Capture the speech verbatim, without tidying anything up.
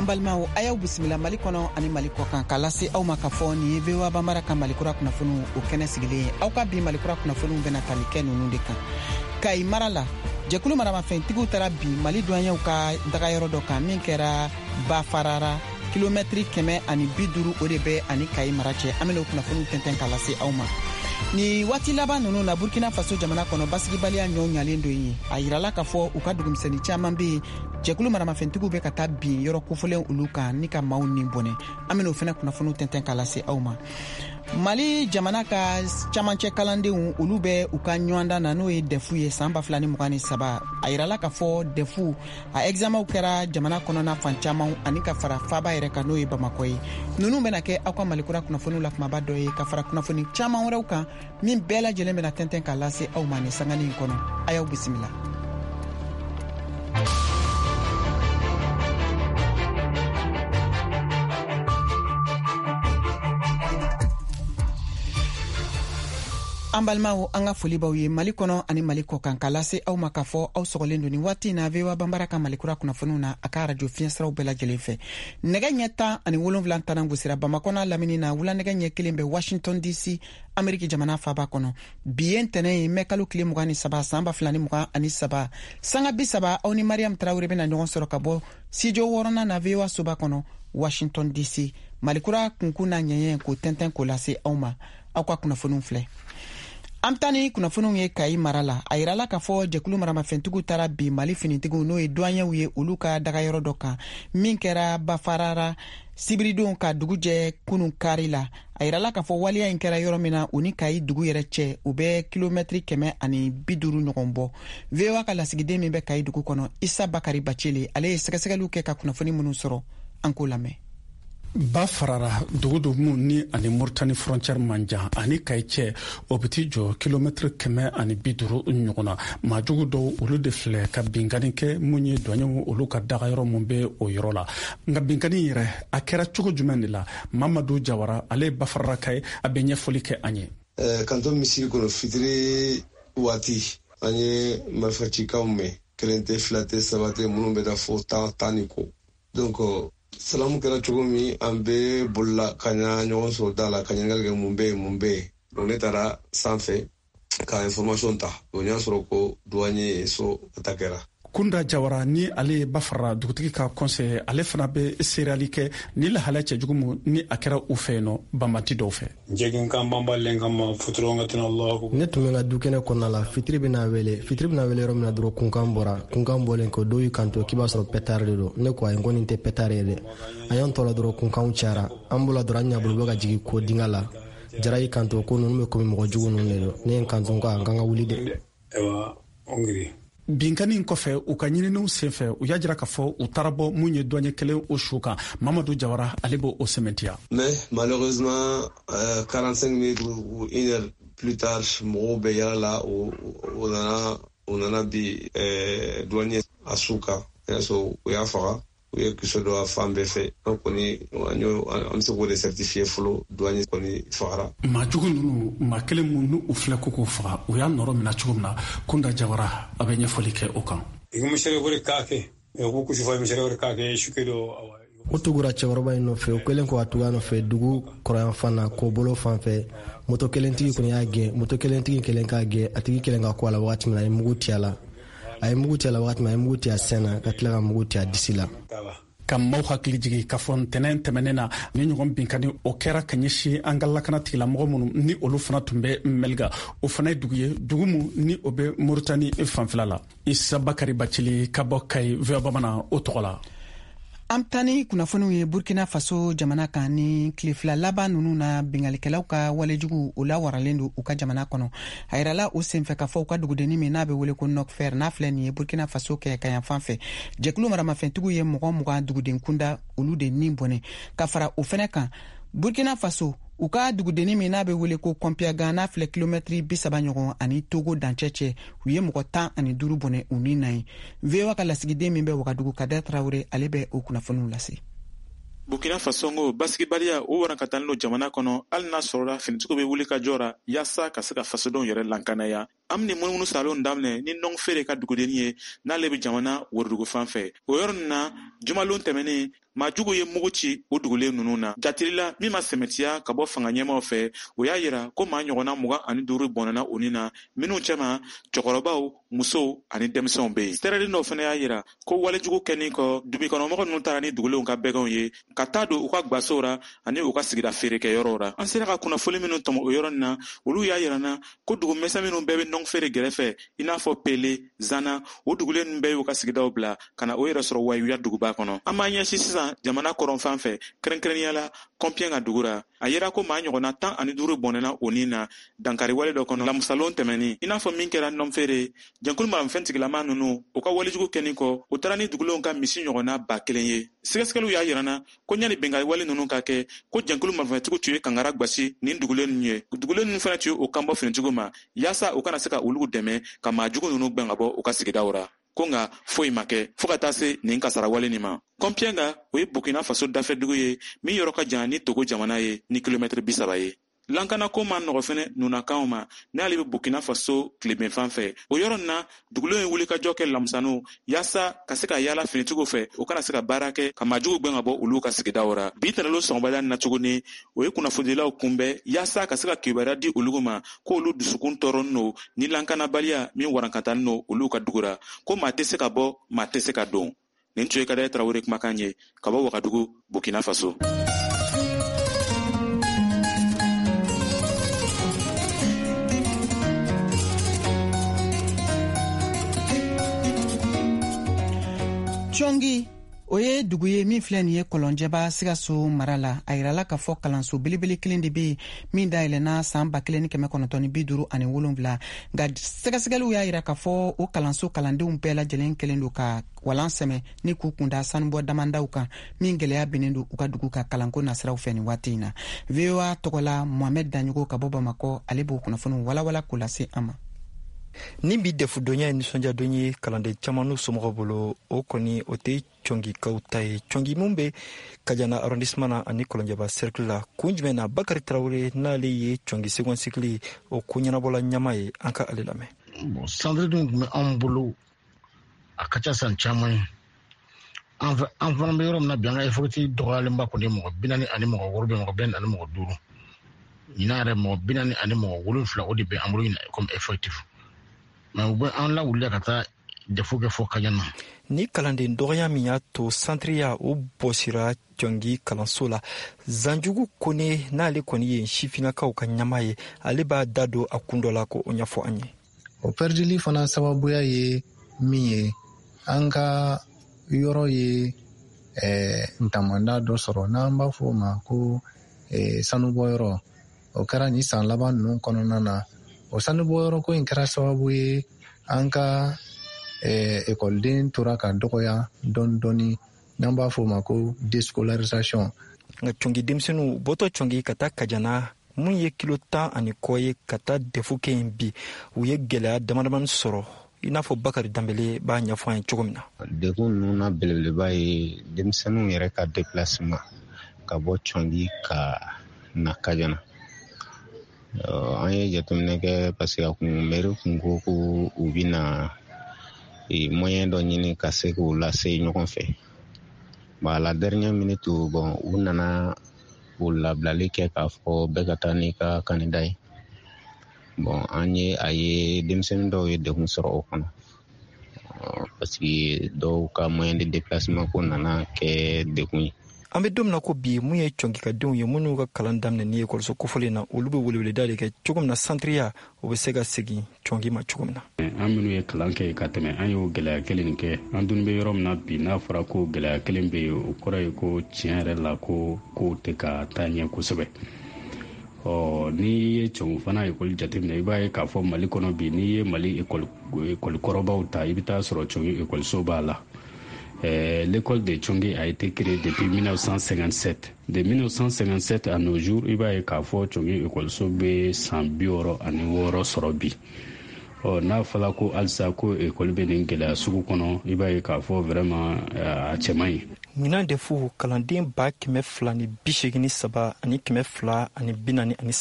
An balimaw, a y'aw bisimila Mali kɔnɔ ani Mali kɔ kan, k'a lase aw ma k'a fɔ nin ye V O A Banbara ka Malikura kunnafoniw o kɛnɛ sigilen ye. Aw ka bi Malikura kunnafoniw bɛna tali kɛ ninnu de kan: Kayi mara la, jɛkulu maramafɛntigiw taara bin Mali duwanɲɛw ka dagayɔrɔ dɔ kan min kɛra Bafarara, kilomɛtiri kɛmɛ ani bi duuru o de bɛ ani Kayi mara cɛ. An bɛna o kunnafoniw tɛntɛn k'a lase aw ma. Ni waati laban nunu na, Burkina Faso jamana kɔnɔ, basigibaliya ɲɔw ɲalen don yen. A yirala k'a fɔ u ka dugumisɛnni caaman be yen, jɛkulu maramafɛntigiw bɛ ka taa bin yɔrɔ kofɔlen olu kan ni ka maaw ni bɔnɛ. An bɛna o fɛnɛ kunnafoniw tɛntɛn k'a lase aw ma. Mali jamana ka camancɛ kalandenw, olu bɛ u ka ɲɔgɔndan na, n'o ye D E F ye, san ba fila ni mugan ni saba. A yirala k'a fɔ D E F a examenw kɛra jamana kɔnɔna fan caman ani ka fara faba yɛrɛ kan, n'o ye Bamakɔ ye. Nunu bɛna kɛ aw ka Malikura kunnafoniw la kumaba dɔ ye, ka fara kunnafoni caman wɛrɛw kan min bɛɛ lajɛlen bɛna tɛntɛn k'a lase aw ma ni sangani in kɔnɔ. A y'aw bisimila. An balimaw, an ka foli b'aw ye Mali kɔnɔ ani Mali kɔ kan, k'a lase aw ma k'a fɔ aw sɔgɔlen don ni waati na V O A Banbara ka Malikura kunnafoniw na, a ka arajo fiɲɛsiraw bɛɛ lajɛlen fɛ. Nɛgɛ ɲɛ tan ani wolonfila tanan gosira Bamakɔ n'a lamini na, wula nɛgɛ ɲɛ kelen bɛ Washington D C, Ameriki jamana faba kɔnɔ. Bi ye ntɛnɛ ye, mɛ kalo tile mugan ni saba, san ba fila ni mugan ani saba. Sanga bi saba, aw ni Mariam Tarawure bɛna ɲɔgɔn sɔrɔ ka bɔ studio wɔɔrɔnan na, V O A soba kɔnɔ, Washington D C. Malikura kunkun n'a ɲɛɲɛ k'o tɛntɛn k'o lase aw ma. Aw ka kunnafoniw filɛ. An bɛ taa ni kunnafoniw ye Kayi mara la. A yirala k'a fɔ jɛkulu maramafɛntigiw taara bin Mali finitigiw, n'o ye duwanɲɛw ye, olu ka dagayɔrɔ dɔ kan min kɛra Bafarara, sibiridon ka dugu jɛ kunun kari la. A yirala k'a fɔ waleya in kɛra yɔrɔ min na, u ni Kayi dugu yɛrɛ cɛ, u bɛ kilomɛtiri kɛmɛ ani bi duuru ɲɔgɔn bɔ. V O A ka lasigiden min bɛ Kayi dugu kɔnɔ, Isa Bakari Bacele, ale ye sɛgɛsɛgɛliw kɛ ka kunnafoni minnu sɔrɔ, an k'o lamɛn. Ba farara dugu do mun ni ani Moritani frontière man jan, ani Kayi cɛ o bɛ t'i jɔ kilomɛtiri kɛmɛ ani bi duuru ɲɔgɔn na. Maajugu dɔw, olu de filɛ ka binkani kɛ mun ye dɔɲɛw olu ka dagayɔrɔ mun bɛ o yɔrɔ la. Nka binkani yɛrɛ, a kɛra cogo jumɛn de la? Mamadu Jawara, ale ye Bafararaka ye, a bɛ ɲɛfɔli kɛ an ye. Kanto misiri kɔnɔ, fitiri waati, an ye marifacikanw mɛn, kelen tɛ, fila tɛ, saba tɛ, minnu bɛ taa fo tan, tan ni kɔ. Donc salamu kɛra cogo min, an bɛɛ bolila ka ɲa ɲɔgɔn sɔrɔ da la ka ɲininkali kɛ mun bɛ yen, mun bɛ yen. Donc ne taara sanfɛ ka information ta. Donc n y'a sɔrɔ ko douanier ye so attaquera. Kunda Jawara ni ale ye Bafarara dugutigi ka conseiller, ale fana bɛ seereyali kɛ ni lahalaya cɛjugu mu ni a kɛra u fɛ yen nɔ banbanti dɔw fɛ. Ne tun bɛ n ka dukɛnɛ kɔnɔna la, fitiri bɛna wele. Fitiri bɛna wele yɔrɔ min na dɔrɔn, kunkan bɔra. Kunkan bɔlen kɔ, dɔw y'i kanto k'i b'a sɔrɔ pétard de don. Ne ko ayi, n ko nin tɛ pétard ye dɛ. An y'an tɔ la dɔrɔn, kunkanw cayara. An bɔla dɔrɔn, an ɲabolo bɛ ka jigin ko dinga la. Jara y'i kanto ko ninnu bɛ komi mɔgɔ jugu ninnu de don. Ne ye n kanto ko an kan ka wuli dɛ. Binkani in kɔfɛ, u ka ɲininiw senfɛ, u y'a jira k'a fɔ u taara bɔ mun ye dɔɲɛ kelen o su kan. Mamadu Jawara, ale b'o o sɛmɛntiya. Mais malheureusement, euh, quarante-cinq minutes ou une heure plus tard, mɔgɔw bɛ yala la, o nana o nana bi euh, douanier a su kan. O y'a sɔrɔ u y'a faga, u ye kisɛ don a fan bɛɛ fɛ. An kɔni, an bɛ se k'o de certifier fɔlɔ, douanier kɔni fagara. Maa jugu ninnu, maa kelen mun n'u u filɛ ko k'o faga, u y'a nɔrɔ minɛ cogo min na, Kunda Jawara, a bɛ ɲɛfɔli kɛ o kan. U tugura cɛkɔrɔba in nɔfɛ. U kɛlen kɔ ka tugu a nɔfɛ dugu kɔrɔyanfan na, k'o bolo fan fɛ, moto kelentigi kɔni y'a gɛn. Moto kelentigi kelen k'a gɛn, a tigi kelen ka ko a la wagati min na, a ye mugu ci a la. A ye mugu ci a la wagati min, a ye mugu ci a sen na, ka tila ka mugu ci a disi la. Ka maaw hakili jigi k'a fɔ ntɛnɛn tɛmɛnen na, ni ɲɔgɔn binkani o kɛra ka ɲɛsin an ka lakana tigilamɔgɔ minnu ni olu fana tun bɛ Mɛliga. O fana ye dugu ye, dugu mu ni o bɛ Moritani fanfɛla la. Isa Bakari Bacili ka bɔ Kayi, V O A Bamanan o tɔgɔ la. An taa ni kunnafoniw ye Burkina Faso jamana kan. Ni tile fila laban nunu na, bingalikɛlaw ka walejugu o lawaralen don u ka jamana kɔnɔ. A yirala o senfɛ k'a fɔ u ka dugudennin min n'a bɛ wele ko Nɔkfɛr, n'a filɛ nin ye Burkina Faso kɛ ka yan fan fɛ, jɛkulu maramafɛntigiw ye mɔgɔ mugan duguden kunda, olu de nin bɔnɛ. Ka fara o fɛnɛ kan, Burkina Faso u ka dugudennin min n'a bɛ wele ko Kɔnpiyagan, n'a filɛ kilomɛtiri bi saba ɲɔgɔn ani Togo dancɛ cɛ, u ye mɔgɔ tan ani duuru bɔnɛ u ni na ye. V O A ka lasigiden min bɛ Wagadugu, Kadɛ Tarawure, ale bɛ o kunnafoniw lase. Burkina Faso ko basigibaliya o warankatalen don jamana kɔnɔ, hali n'a sɔrɔla finitigiw bɛ wuli ka jɔ ra yaasa ka se ka fasodenw yɛrɛ lankanaya. An bɛ munumunu salon daminɛ ni Nɔngfere ka dugudennin ye, n'ale bɛ jamana worodugu fan fɛ. O yɔrɔ nin na, jumalon tɛmɛnen, Maajugu ye mugu ci o dugulen ninnu na. Jatilila min ma sɛmɛtiya ka bɔ fanga ɲɛmaw fɛ, o y'a yira ko maa ɲɔgɔnna mugan ani duuru bɔnɛna o ni na, minnu cɛma cɛkɔrɔbaw, musow ani denmisɛnw bɛ yen. Sɛrɛden dɔw fana y'a yira ko walejugu kɛnin kɔ, dugukɔnɔmɔgɔ ninnu taara ni dugulenw ka bɛgɛnw ye ka taa don u ka gwasow ra ani u ka sigida feerekɛyɔrɔw ra. An sera ka kunnafoni minnu tɔmɔ o yɔrɔ nin na, olu y'a yira na ko dugumisɛn minnu bɛɛ bɛ nɔnfeere gɛrɛfɛ, i n'a fɔ Pele, Zana, o dugulen ninnu bɛɛ y'u ka sigidaw bila ka na o yɛrɛ sɔrɔ Wayuya duguba kɔnɔ. An b'an ɲɛsin sisan jamana kɔrɔnfan fɛ, kɛrɛnkɛrɛnnenya la Kɔnpiyɛn ka dugu ra. A yera ko maa ɲɔgɔnna tan ani duuru bɔnɛna o ni na dankariwale dɔ kɔnɔ lamusalon tɛmɛnin, i n'a fɔ min kɛra nɔnfeere. Jɛnkulu maramafɛn tigilama ninnu, u ka walejugu kɛnin kɔ, u taara ni dugulenw ka misi ɲɔgɔnna ba kelen ye. Sɛgɛsɛgɛliw y'a yira na ko ɲani bɛnkanwale ninnu ka kɛ, ko jɛnkulu marifatigiw tun ye kangara gwasi nin dugulen ninnu ye. Dugulen ninnu fana tun ye o kanbɔ finitigiw ma yaasa u kana se ka olu dɛmɛ ka maajugu ninnu gwɛn ka bɔ u ka sigidaw ra. Ko nka foyi ma kɛ fɔɔ ka taa se nin kasarawale nin ma. Kɔnpiyɛnga, o ye Burkina Faso dafɛdugu ye min yɔrɔ ka jan ni Togo jamana ye ni kilomɛtiri bi saba ye. Lankanako ma nɔgɔ fɛnɛ nunnakanw ma n'ale bɛ Burkina Faso tilebenfan fɛ. O yɔrɔ nin na, dugulenw ye wulikajɔ kɛ lamusaniw yaasa ka se ka yaala finitigiw fɛ, u kana se ka baara kɛ ka maajugu gwɛn ka bɔ olu ka sigidaw ra. Bi tɛnɛlon sɔgɔmada na tuguni, o ye kunnafonidilaw kunbɛn yaasa ka se ka kibaruya di olu ma ko olu dusukun tɔɔrɔnin don ni lankanabaliya min warankatanin don olu ka dugu ra, ko maa tɛ se ka bɔ, maa tɛ se ka don. Nin tun ye Kadɛ Tarawele kumakan ye ka bɔ Wagadugu, Burkina Faso. Cɔngi, o ye dugu ye min filɛ nin ye Kɔlɔnjɛba Sikaso mara la. A yirala k'a fɔ kalanso belebele kelen de bɛ yen min dayɛlɛnna san ba kelen ni kɛmɛ kɔnɔntɔn ni bi duuru ani wolonwula. Nka sɛgɛsɛgɛliw y'a yira k'a fɔ o kalanso kalandenw bɛɛ lajɛlen kɛlen don ka walan sɛmɛ ni k'u kunda sanubɔ damandaw kan, min gɛlɛya binnen don u ka dugu ka kalanko nasiraw fɛ nin waati in na. V O A tɔgɔla Mohamed Daɲogo ka bɔ Bamakɔ, ale b'o kunnafoniw walawala k'o lase an ma. Ni bi dɛfudonya ye nisɔndiyadon ye kalanden caman n'u somɔgɔw bolo, o kɔni o tɛ cɔngikaw ta ye. Cɔngi mun bɛ Kajana arrondissement na ani Kɔlɔnjɛba cercle la, kun jumɛn na Bakari Tarawele n'ale ye Cɔngi second cycle o ko ɲɛnabɔla ɲama ye, an ka ale lamɛn. Bon, centre dun tun bɛ anw bolo a ka ca san caman ye. An fana bɛ yɔrɔ min na bi, an ka effectif dɔgɔyalenba kɔni ye mɔgɔ bi naani ani mɔgɔ wɔɔrɔ bɛ mɔgɔ bi naani ani mɔgɔ duuru. Ɲinan yɛrɛ mɔgɔ bi naani ani mɔgɔ wolonfila o de bɛ an bolo ɲinan comme effectif. Mais u bɛ an lawuli ka taa defo kɛ fɔ Kajana. Ni kalanden dɔgɔya min y'a to santriya o bɔsira Cɔngi kalanso la, Zanjugu Kone n'ale kɔni ye sifinnakaw ka ɲama ye, ale b'a da don a kun dɔ la k'o ɲɛfɔ an ye. O pɛridili fana sababuya ye min ye, an ka yɔrɔ ye eh, ntamanda dɔ sɔrɔ n'an b'a fɔ o ma ko eh, sanubɔyɔrɔ. O kɛra nin san laban ninnu kɔnɔna na. O sanubɔyɔrɔ ko in kɛra sababu ye an ka ekɔliden tora ka dɔgɔya dɔɔni dɔɔni, n'an b'a fɔ o ma ko déscolarisation. Nka Cɔngi denmisɛnninw bɔtɔ Cɔngi ka taa Kajana, mun ye kilo tan ani kɔ ye ka taa dɛfu kɛ yen bi, u ye gɛlɛya damadamani sɔrɔ, i n'a fɔ Bakari Danbele b'a ɲɛfɔ an ye cogo min na. Degun ninnu na belebeleba ye denmisɛnninw yɛrɛ ka déplacement ka bɔ Cɔngi ka na Kajana. An ye jateminɛ kɛ parce que a kun mairie kun ko ko u bɛna moyen dɔ ɲini ka se k'u lase ɲɔgɔn fɛ. Bon, à la dernière minute, bon, u nana u labilali kɛ k'a fɔ bɛɛ ka taa n'i ka candidat ye. Bon, an ye a ye denmisɛnnin dɔw ye degun sɔrɔ o kɔnɔ parce que dɔw ka moyen de déplacement ko nana kɛ degun ye. An bɛ don min na ko bi, mun ye cɔngikadenw ye minnu ka kalan daminɛ ni ekɔliso kofɔlen na, olu bɛ weleweleda de kɛ cogo min na santriya o bɛ se ka segin cɔngi ma cogo min na. An minnu ye kalan kɛ ka tɛmɛ, an y'o gɛlɛya kelen kɛ. An dun bɛ yɔrɔ min na bi, n'a fɔra ko gɛlɛya kelen bɛ yen, o kɔrɔ ye ko tiɲɛ yɛrɛ la ko kow tɛ ka taa ɲɛ kosɛbɛ. Ɔ n'i ye cɔngi fana ekɔli jateminɛ, i b'a ye k'a fɔ Mali kɔnɔ bi, n'i ye Mali ekɔli ekɔli kɔrɔbaw ta, i bɛ taa sɔrɔ cɔngi ekɔliso b'a la. Euh, l'école de Tchongi a été créée depuis mille neuf cent cinquante-sept. De mille neuf cent cinquante-sept à nos jours, i b'a ye k'a fɔ Tchongi ekɔliso bɛ san bi wɔɔrɔ ani wɔɔrɔ sɔrɔ bi. Ɔ n'a fɔra ko halisa ko ekɔli bɛ nin gɛlɛya sugu kɔnɔ, i b'a ye k'a fɔ vraiment a cɛ man ɲi. Ɲinan de fu kalanden ba kɛmɛ fila ni bi seegin ni saba ani kɛmɛ fila ani bi naani ani saba.